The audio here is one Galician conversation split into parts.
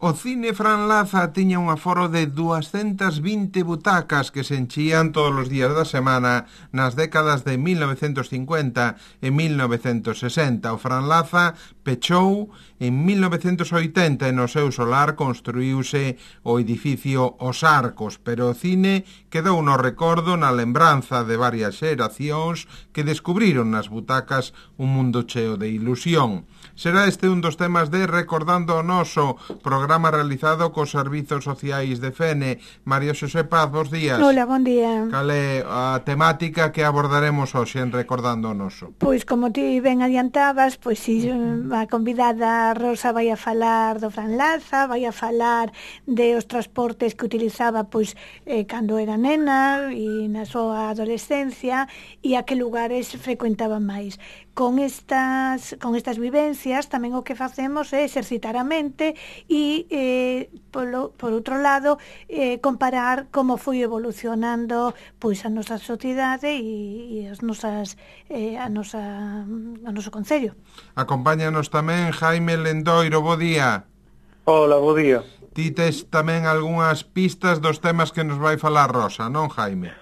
O cine Fran Laza tiña un aforo de 220 butacas que se enchían todos os días da semana nas décadas de 1950 e 1960. O Fran Laza pechou en 1980 e no seu solar construíuse o edificio Os Arcos, pero o cine quedou no recordo, na lembranza de varias xeracións que descubriron nas butacas un mundo cheo de ilusión. Será este un dos temas de Recordando o Noso, programa realizado cos Servizos Sociais de Fene. María Xosé Paz, bos días. Hola, bon día. Cal é a temática que abordaremos hoxe en Recordando o Noso? Pois, como ti ben adiantabas, pois si a convidada Rosa vai a falar do Fran Laza, vai a falar de os transportes que utilizaba pois cando era nena e na súa adolescencia e a que lugares frecuentaba máis. Con estas vivencias tamén o que facemos é exercitar a mente e por outro lado comparar como foi evolucionando pois a nosa sociedade e o noso concello. Acompáñanos tamén Jaime Lendoiro, bo día. Hola, bo día. Ti tes tamén algunhas pistas dos temas que nos vai falar Rosa, non, Jaime?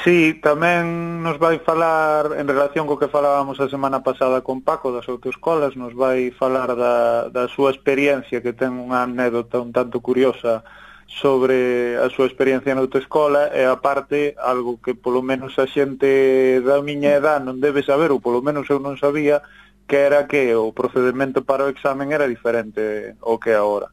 Sí, tamén nos vai falar, en relación co que falábamos a semana pasada con Paco das autoescolas, nos vai falar da súa experiencia, que ten unha anécdota un tanto curiosa sobre a súa experiencia na autoescola, e aparte, algo que polo menos a xente da miña edad non debe saber, ou polo menos eu non sabía, que era que o procedimento para o examen era diferente ao que é agora.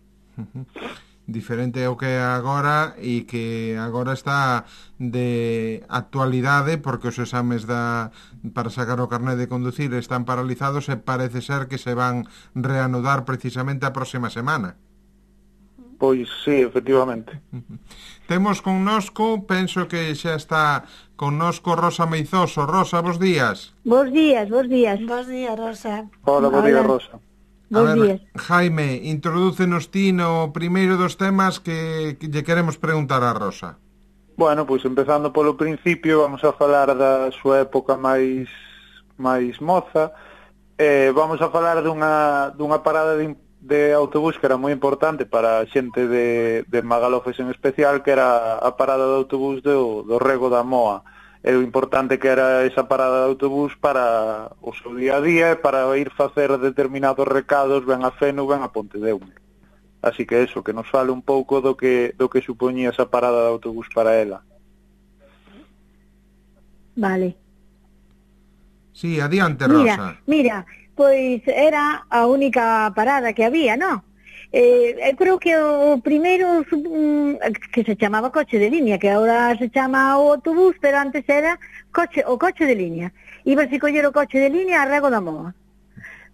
Diferente ao que é agora e que agora está de actualidade porque os exames para sacar o carné de conducir están paralizados e parece ser que se van reanudar precisamente a próxima semana. Pois sí, efectivamente. Temos connosco, penso que xa está connosco Rosa Meizoso. Rosa, bos días. Bos días. Bos días, Rosa. Hola, bos días, Rosa. A ver, Jaime, introdúcenos ti no primeiro dos temas que lle queremos preguntar a Rosa. Bueno, pois empezando polo principio, vamos a falar da súa época máis moza. Vamos a falar dunha parada de autobús que era moi importante para a xente de Magalofes en especial, que era a parada de autobús do Rego da Moa. E o importante que era esa parada de autobús para o seu día a día e para ir facer determinados recados ben a Feno, ben a Pontedeume. Así que eso, que nos fale un pouco do que supoñía esa parada de autobús para ela. Vale. Sí, adiante, Rosa. Mira, pois era a única parada que había, non? Eu creo que o primeiro que se chamaba coche de línea, que agora se chama o autobús, pero antes era o coche de línea. Ibas a coller o coche de línea a Rego da Moa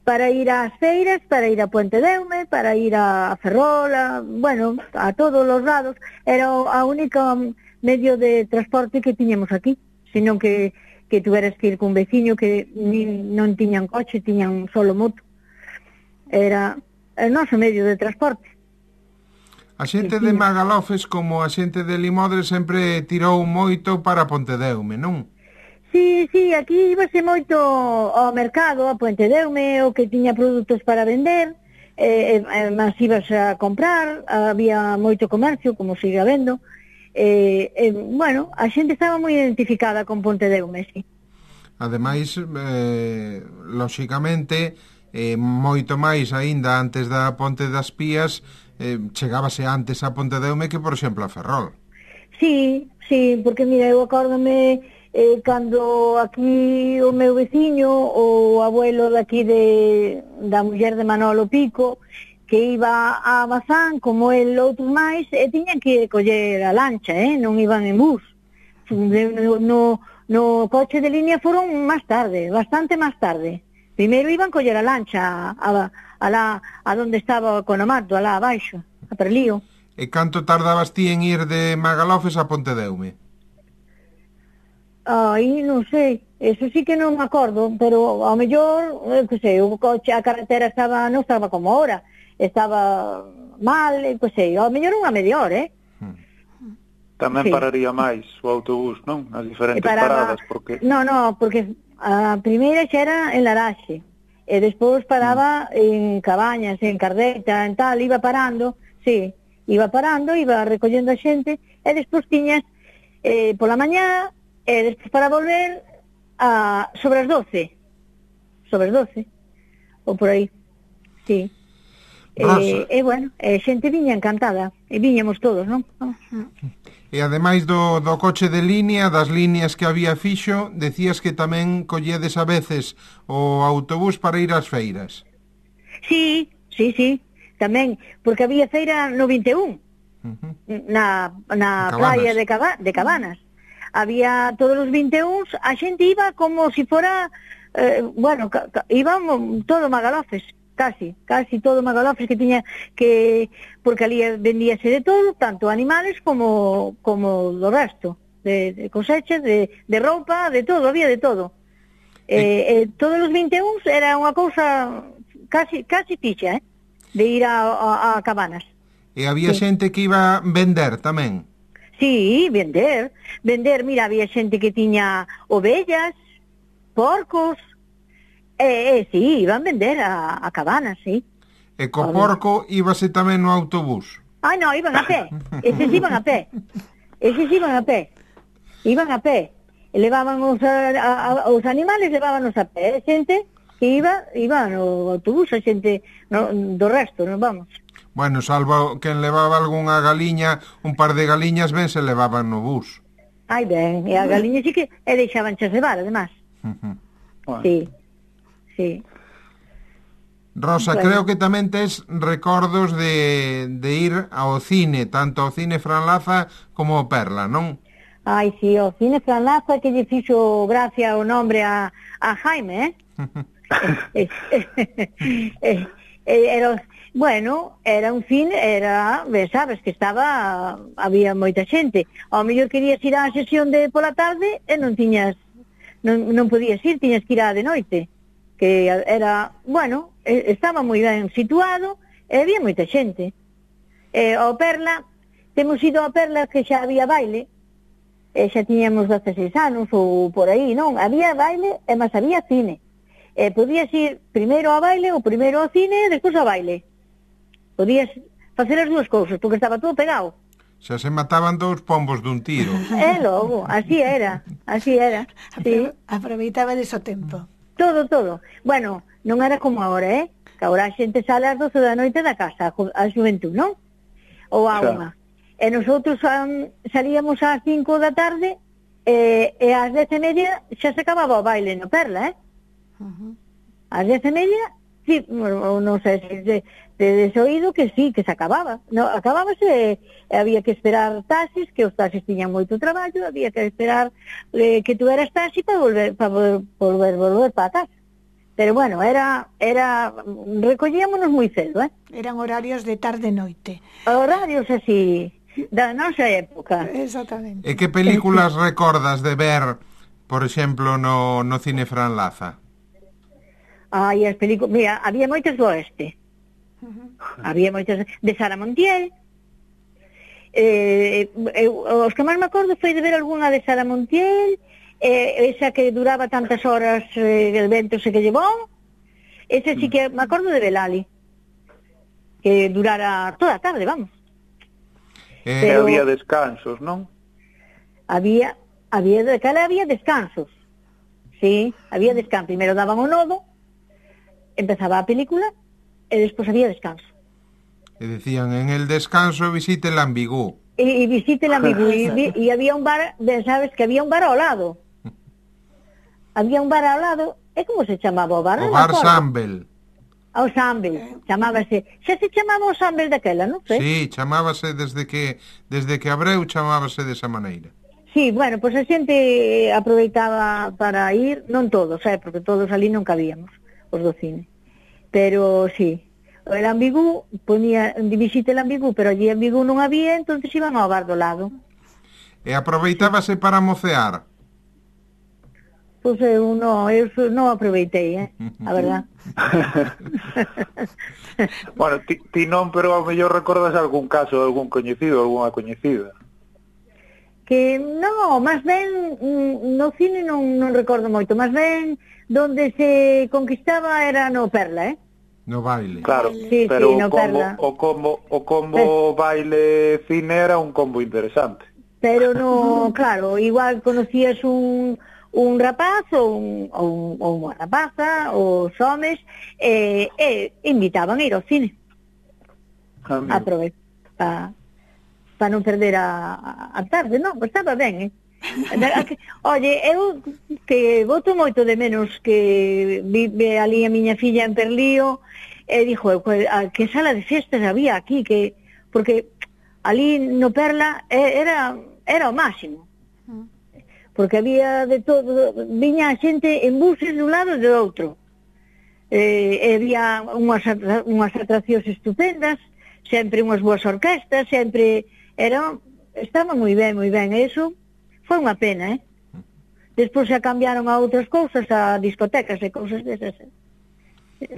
para ir ás feiras, para ir a Pontedeume, para ir a Ferrol, bueno, a todos os lados. Era a única medio de transporte que tiñamos aquí, senón que tuveras que ir cun veciño que non tiñan coche, tiñan solo moto. Era o noso medio de transporte. A xente de Magalofes como a xente de Limodre sempre tirou moito para Pontedeume, non? Sí, aquí íbase moito ao mercado, a Pontedeume, o que tiña produtos para vender, mas ibas a comprar, había moito comercio, como sigue habendo, bueno, a xente estaba moi identificada con Pontedeume, sí. Ademais, lóxicamente, moito máis aínda antes da Ponte das Pías, chegábase antes a Pontedeume que, por exemplo, a Ferrol. Sí, porque mira, eu acórdome cando aquí o meu veciño, o abuelo daqui da muller de Manolo Pico, que iba a Bazán, como el outros máis, e tiñan que coller a lancha, non iban en bus. No coche de línea foron máis tarde, bastante máis tarde. Primeiro iban coller a lancha a donde estaba o Conomato, alá abaixo, a Perlío. E canto tardabas ti en ir de Magalofes a Pontedeume? Non sei, eso sí que non me acordo, pero ao mellor, que sei, o coche, a carretera non estaba como ahora, estaba mal, que sei, ao mellor unha media hora, Tamén pararía máis o autobús, non? As diferentes paradas, porque... Non, porque a primeira xa era en Laraxe, e despois paraba en Cabañas, en Cardeita, en tal, iba parando, sí, iba parando, iba recollendo a xente, e despois tiñas pola mañá, e despois para volver sobre as 12, ou por aí, sí. Rosa. Bueno, xente viña encantada, e viñamos todos, non? E ademais do coche de línea, das líneas que había fixo, decías que tamén colledes a veces o autobús para ir ás feiras. Sí, tamén, porque había feira no 21, na praia de Cabanas. Había todos os 21, a xente iba como si fora, íbamos todo magalofes, casi todo magalofes que tiña porque ali vendíase de todo, tanto animales como do resto, de cosechas, de roupa, de todo, había de todo. Todos os 21 era unha cousa casi ficha, de ir a Cabanas. E había xente que iba vender tamén. Sí, vender, mira, había xente que tiña ovellas, porcos, sí, iban vender a Cabanas, sí. E co porco íbase tamén no autobús. Ai, non, iban a pé, eses iban a pé. Iban a pé, e levaban os animales, levábanos a pé, xente que iba no autobús, a xente do resto, non vamos. Bueno, salvo quen levaba algunha galiña, un par de galiñas ben se levaban no bus. Ai, ben, e a galiña sí que deixaban chas levar, además. Sí. Rosa, creo que tamén tes recordos de ir ao cine, tanto ao cine Fran Laza como ao Perla, non? Ai, sí, o cine Fran Laza que lle fixo gracia o nombre a Jaime, era un cine, sabes que había moita xente. Ao mellor querías ir á sesión de pola tarde e non podías ir, tiñas que ir á de noite, que era, estaba moi ben situado e había moita xente. Ao Perla, temos ido ao Perla que xa había baile, e xa tiñamos 16 anos ou por aí, non? Había baile e máis había cine. Podías ir primeiro ao baile ou primeiro ao cine e despois ao baile. Podías facer as dúas cousas, porque estaba todo pegado. Xa se mataban dous pombos dun tiro. Logo, así era, sí. Aproveitaba dese tempo. Todo. Bueno, non era como agora, que agora a xente sale ás 12 da noite da casa, a xuventud, non? Ou a unha. E nosotros salíamos ás 5 da tarde e ás 10:30 xa se acababa o baile no Perla, Ás 10:30, sí, non sei se desoído que sí, que se acababa. No, acabábase, había que esperar taxis, que os taxis tiñan moito traballo, había que esperar que tu eras taxi para volver para a casa. Pero bueno, recollíamonos moi cedo, Eran horarios de tarde-noite. Horarios así, da nosa época. Exactamente. E que películas recordas de ver, por exemplo, no cine Fran Laza? Ai, as películas, mira, había moitas do oeste. Había moitas de Sara Montiel. Os que máis me acordo foi de ver algunha de Sara Montiel, esa que duraba tantas horas, el vento se que llevou. Esa sí que me acordo de Belali, que durara toda a tarde, vamos. Pero había descansos, non? Había descansos. Sí, había descanso. Primeiro daban o nodo, empezaba a película e despois había descanso. E decían, en el descanso visite el Ambigú. E visite el Ambigú. E había un bar, sabes que había un bar ao lado. Había un bar ao lado, e como se chamaba o bar? O bar Sambel. O Sambel, chamábase. Xa se chamaba o Sambel daquela, non sei? Sí, chamábase desde que abreu chamábase desa maneira. Sí, bueno, pois a xente aproveitaba para ir, non todos, porque todos ali non cabíamos, os do cine. Pero sí, el Ambigú, ponía visite el Ambigú, pero allí Ambigú non había, entonces iban ao bar do lado. E aproveitábase para mocear? Pois eu non aproveitei, a verdad. Bueno, ti non, pero ao mellor recordas algún caso de algún coñecido, algunha coñecida. Que non, máis ben no cine non recordo moito, máis ben donde se conquistaba era no Perla, No baile. Claro, Sí, pero sí, no perla. o combo baile cine era un combo interesante. Pero no, claro, igual conocías un rapaz ou unha rapaza, os homes, invitaban a ir ao cine. Aproveitar para non perder a tarde, non, pues estaba ben, Oye, eu que boto moito de menos que vive ali a miña filla en Perlío, e dixo, que sala de fiestas había aquí, que porque ali no Perla era o máximo. Porque había de todo, viña a xente en buses de un lado e do outro. Había unhas atraccións estupendas, sempre unhas boas orquestas, sempre estaba moi ben, eso foi unha pena, Despois xa cambiaron a outras cousas, a discotecas e cousas desas.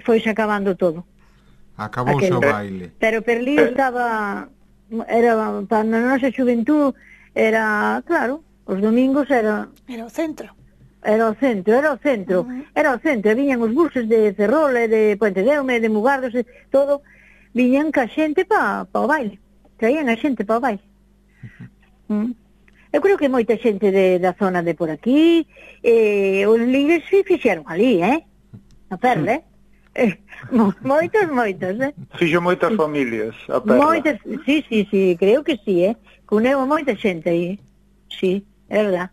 Foise acabando todo. Acabouse o baile. Pero Perlío era para a nosa xuventud, era, claro, os domingos era Era o centro. Era o centro, e viñan os buses de Ferrol e de Puente Deume, de Mugardos, e todo, viñan ca xente pa o baile, traían a xente pa o baile. Eu creo que moita xente da zona de por aquí, os ligues fixeron ali, na Perla, moitos, Fixo moitas familias a Perla. Moitas, sí, creo que sí, cuneu a moita xente aí, sí, é verdad.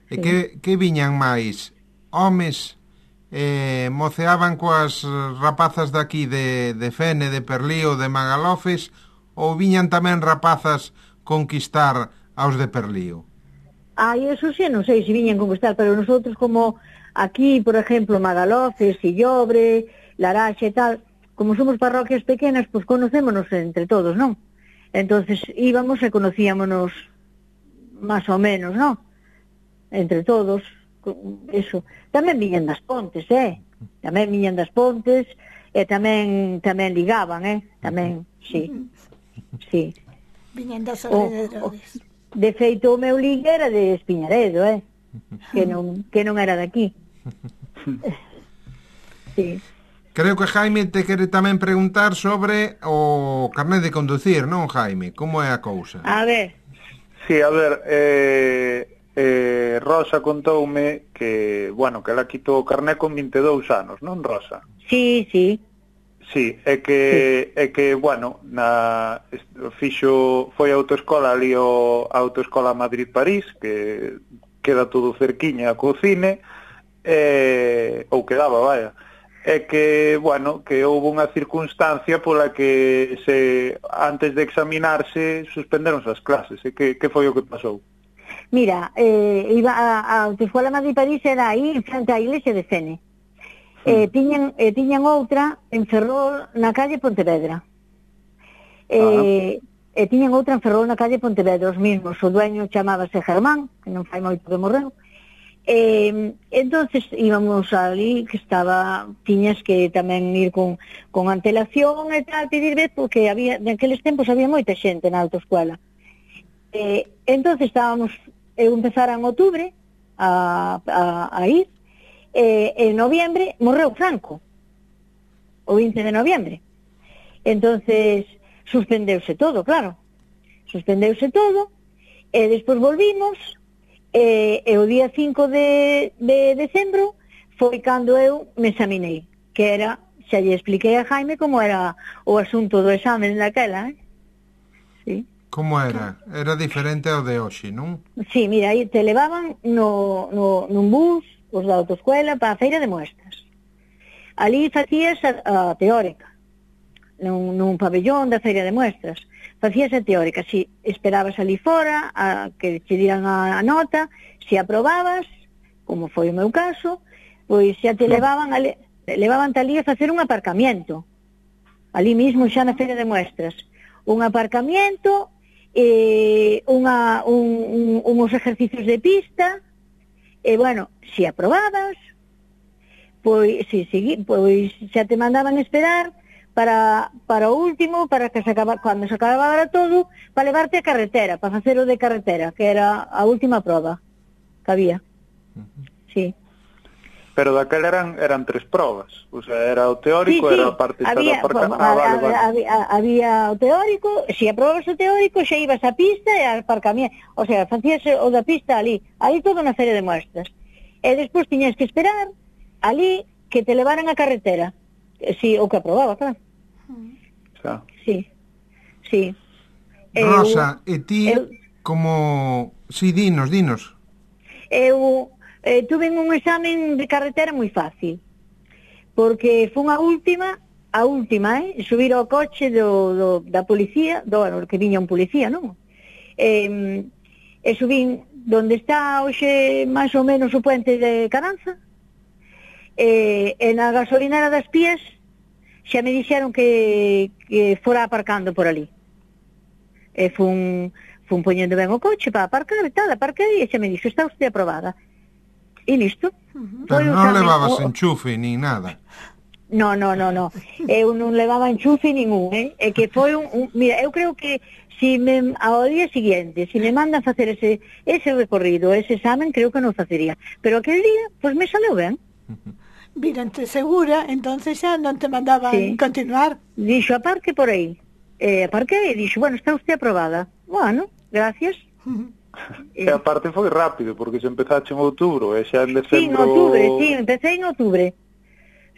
E que viñan máis? Homes moceaban coas rapazas daqui de Fene, de Perlío, de Magalofes, ou viñan tamén rapazas conquistar aos de Perlío? Eso sí, non sei se viñan conquistar, pero nosotros como aquí, por exemplo, Magalofes, Sillobre, Laraxe e tal, como somos parroquias pequenas, pois conocémonos entre todos, non? Entonces íbamos e conocíamonos máis ou menos, non? Entre todos, eso. Tamén viñan das Pontes, Tamén viñan das Pontes, e tamén ligaban, Tamén, sí. Viñan dos alrededores. De feito, o meu ligue era de Espiñaredo, que non era de aquí. Sí. Creo que Jaime te quere tamén preguntar sobre o carnet de conducir, non, Jaime? Como é a cousa? A ver. Sí, a ver, Rosa contoume que, que ela quitou o carné con 22 anos, non, Rosa? Sí. Sí, é que, foi a autoescola ali, a autoescola Madrid-París, que queda todo cerquiña co cine, ou quedaba, vaya. É que, que houve unha circunstancia pola que antes de examinarse suspenderonse as clases. E que foi o que pasou? Mira, a autoescola Madrid-París era aí, frente á iglesia de Fene. Tiñan outra en Ferrol na calle Pontevedra. Tiñan outra en Ferrol na calle Pontevedra, os mismos. O dueño chamábase Germán, que non fai moito que morreu. Entonces íbamos ali, que tiñas que tamén ir con antelación e tal, pedir vez, porque naqueles tempos había moita xente na autoescola. Entonces eu empezara en outubro a ir. En noviembre morreu Franco, o 20 de noviembre. Entonces suspendeuse todo, claro. E despois volvimos, e o día 5 de decembro foi cando eu me examinei, que era, xa lle expliquei a Jaime como era o asunto do examen daquela, Sí. Como era? Era diferente ao de hoxe, non? Sí, mira, aí te levaban nun bus os da autoescuela para a feira de muestras. Ali facías a teórica, nun pabellón da feira de muestras. Facías a teórica, si esperabas ali fora a que te dieran a nota, se aprobabas, como foi o meu caso, pois xa te levaban ali a facer un aparcamiento. Ali mismo xa na feira de muestras. Un aparcamiento, uns ejercicios de pista. E, se aprobabas, pois xa te mandaban esperar para o último, cando se acabara todo, para levarte a carretera, para facer o de carretera, que era a última proba que había. Sí. Pero daquela eran 3 probas, o sea, era o teórico, Sí, era a parte xa do había, aparcamento. había o teórico, se aprobas o teórico xa ibas á pista e ao aparcamento, o sea, facías o da pista ali todo na feria de muestras. E despois tiñas que esperar ali que te levaran a carretera. Si, o que aprobaba, claro. Xa. Sí. Rosa, e ti como... Si, dinos. Eu tuve un examen de carretera moi fácil, porque fun a última, subir ao coche da policía, que viña un policía, non? E subín donde está hoxe máis ou menos o puente de Caranza, e na gasolinera das Pías xa me dixeron que fora aparcando por ali. E fun poñendo ben o coche para aparcar e tal, aparquei e xa me dixo, está usted aprobada. E listo. Pero non levabas enchufe ni nada. No. Eu non levaba enchufe ningún, É que foi mira, eu creo que ao día siguiente, se me mandan facer ese recorrido, ese examen, creo que non facería. Pero aquel día, pois me saleu ben. Virante segura, entonces xa non te mandaban continuar. Dixo, aparque por aí. Aparquei e dixo, bueno, está usted aprobada. Bueno, gracias. E a parte foi rápido, porque se empezaste en outubro, e xa en decembro... Sí, en outubro, empecé en outubro.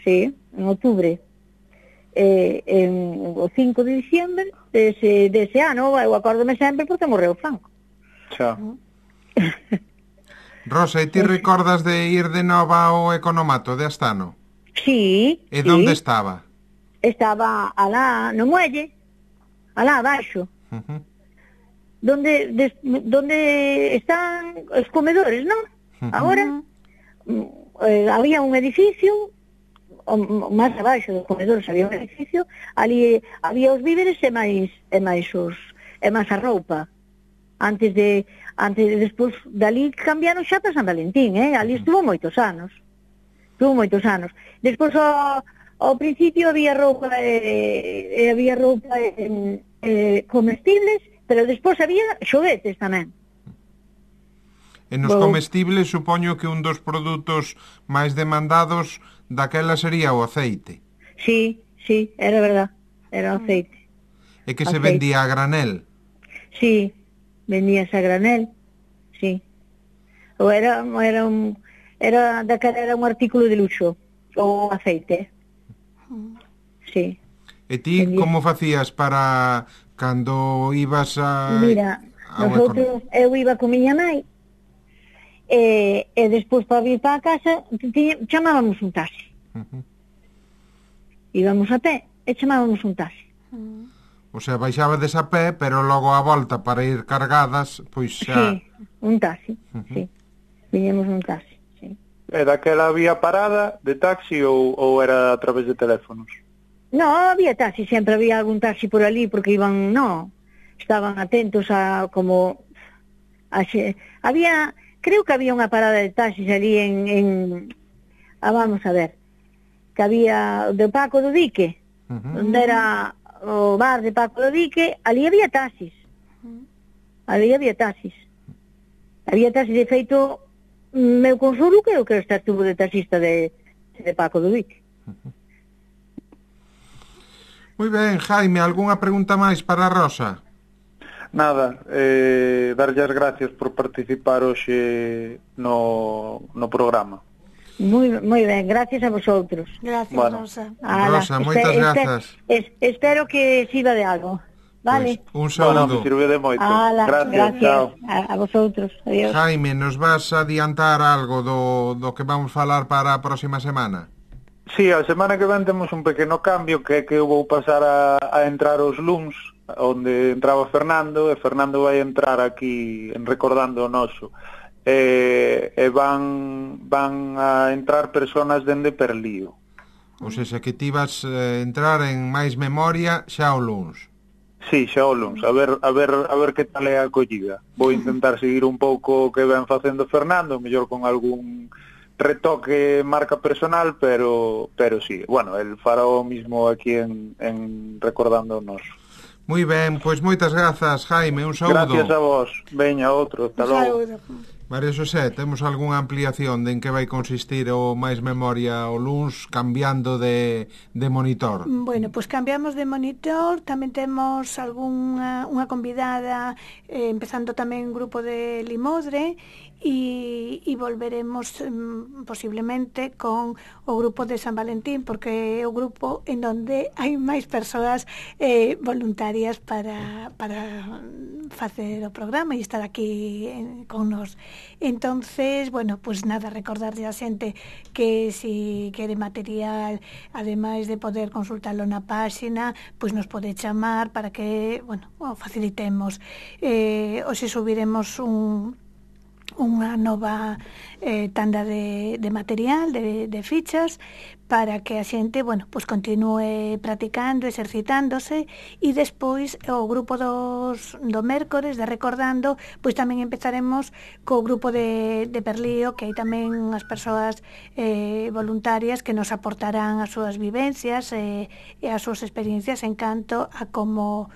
Sí, en outubro. O 5 de diciembre dese ano, eu acórdome sempre porque morreu Franco. Xa. Rosa, e ti recordas de ir de nova ao economato de Astano? Sí. E onde estaba? Estaba alá no muelle, alá abaixo. Donde están os comedores, non? Agora había un edificio máis abaixo dos comedores, había un edificio, ali había os víveres e máis a roupa. Despois dali cambiaron xa para San Valentín, ali estuvo moitos anos. Despois ao principio había roupa comestibles, pero despois había xoguetes tamén. E nos comestibles supoño que un dos produtos máis demandados daquela sería o aceite. Sí, era verdad, era o aceite. E que se vendía a granel? Sí, vendíase a granel, sí. Ou era un artículo de luxo, o aceite. Sí. E ti como facías para cando ibas a... Mira, eu iba con miña nai, e despois para vir para a casa chamábamos un taxi. Íbamos a pé e chamábamos un taxi. O sea, baixabades a pé, pero logo a volta para ir cargadas, pois xa... Sí, un taxi, sí. Viñemos un taxi, sí. E daquela había parada de taxi ou era a través de teléfonos? No, había taxi, sempre había algún taxi por ali, porque estaban atentos a como... Creo que había unha parada de taxis ali vamos a ver, que había de Paco do Dique, onde era o bar de Paco do Dique, ali había taxis. Había taxis, de feito, meu consolo creo que estuvo de taxista de Paco do Dique. Moi ben, Jaime, algunha pregunta máis para a Rosa? Nada, darlle as gracias por participar hoxe no programa. Moi ben, gracias a vosotros. Gracias, bueno. Rosa. Rosa, moitas grazas. Espero que sirva de algo. Vale? Pues, un saúdo. Bueno, me sirve de moito. Gracias. Chao. A vosotros. Adiós. Jaime, nos vas a adiantar algo do que vamos falar para a próxima semana? Sí, a semana que ven temos un pequeno cambio, que é que eu vou pasar a entrar os luns, onde entraba Fernando, e Fernando vai entrar aquí en Recordando o Noso. E van a entrar personas dende Perlío. Ou seja, que ti vas entrar en máis memoria xa o luns. Sí, xa o luns, a ver que tal é a acollida. Vou intentar seguir un pouco o que ven facendo Fernando, mellor con algún retoque marca personal, pero sí, bueno, el fará o mismo aquí en Recordando o Noso. Moi ben, pois moitas grazas, Jaime, un saúdo. Gracias a vos. Veña, outro, hasta logo. Saúdo. María Xosé, temos algunha ampliación de en que vai consistir o máis memoria o luns cambiando de monitor? Bueno, pois cambiamos de monitor, tamén temos unha convidada, empezando tamén un grupo de Limodre, e volveremos posiblemente con o grupo de San Valentín, porque é o grupo en donde hai máis persoas voluntarias para facer o programa e estar aquí con nos. Entonces, bueno, pues nada, recordarlle a xente que si quere material, ademais de poder consultarlo na páxina, pues nos pode chamar para que, bueno, o facilitemos. Hoxe subiremos unha nova tanda de material, de fichas, para que a xente, bueno, pues continúe practicando, exercitándose, e despois o grupo do mércores de Recordando, pois tamén empezaremos co grupo de Perlío, que hai tamén as persoas voluntarias que nos aportarán as súas vivencias e as súas experiencias en canto a como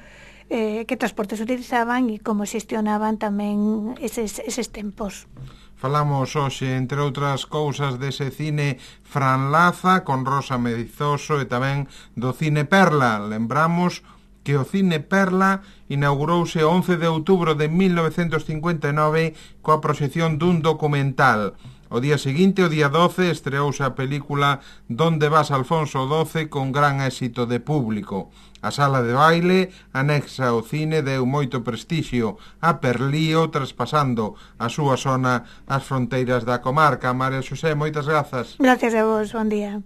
que transportes utilizaban e como xestionaban tamén eses tempos. Falamos hoxe, entre outras cousas, dese cine Fran Laza con Rosa Meizoso e tamén do cine Perla. Lembramos que o cine Perla inaugurouse o 11 de outubro de 1959 coa proxección dun documental. O día seguinte, o día 12, estreouse a película Donde vas, Alfonso XII, con gran éxito de público. A sala de baile anexa ao cine deu moito prestixio a Perlío, traspasando a súa zona as fronteiras da comarca. María Xosé, moitas grazas. Gracias a vos, bon día.